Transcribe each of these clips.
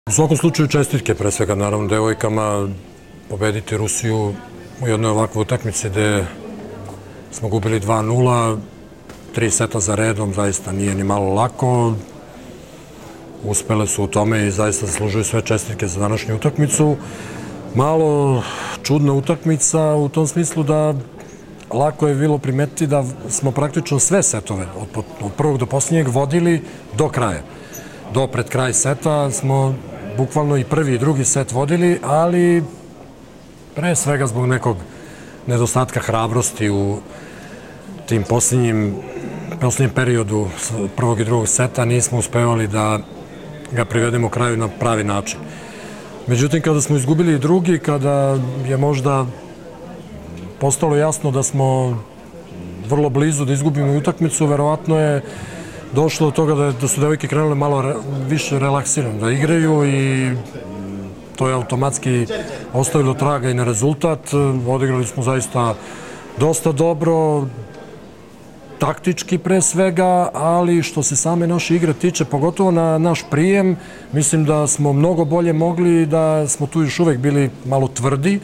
U svakom slučaju čestitke, pre svega naravno devojkama, pobediti Rusiju u jednoj ovakvoj utakmici gde smo gubili 2:0, 3 seta za redom, zaista nije ni malo lako. Uspele su u tome i zaista zaslužuju sve čestitke za današnju utakmicu. Malo čudna utakmica u tom smislu da lako je bilo primetiti da smo praktično sve setove od prvog do posljednjeg vodili do kraja. Do pred kraj seta smo bukvalno i prvi i drugi set vodili, ali pre svega zbog nekog nedostatka hrabrosti u tim posljednjem periodu prvog i drugog seta nismo uspevali da ga privedemo kraju na pravi način. Međutim, kada smo izgubili drugi, kada je možda postalo jasno da smo vrlo blizu da izgubimo utakmicu, verovatno je došlo do toga da su devojke krenule malo više relaksirano da igraju i to je automatski ostavilo traga i na rezultat. Odigrali smo zaista dosta dobro, taktički pre svega, ali što se same naše igre tiče, pogotovo na naš prijem, mislim da smo mnogo bolje mogli i da smo tu još uvek bili malo tvrdi.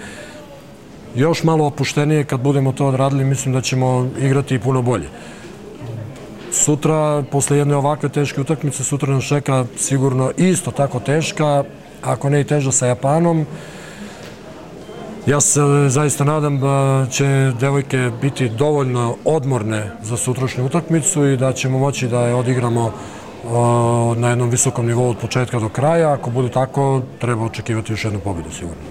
Još malo opuštenije kad budemo to odradili, mislim da ćemo igrati i puno bolje. Sutra, posle jedne ovakve teške utakmice, sutra nas čeka sigurno isto tako teška, ako ne i teža sa Japanom. Ja se zaista nadam da će devojke biti dovoljno odmorne za sutrašnju utakmicu i da ćemo moći da je odigramo na jednom visokom nivou od početka do kraja. Ako bude tako, treba očekivati još jednu pobedu sigurno.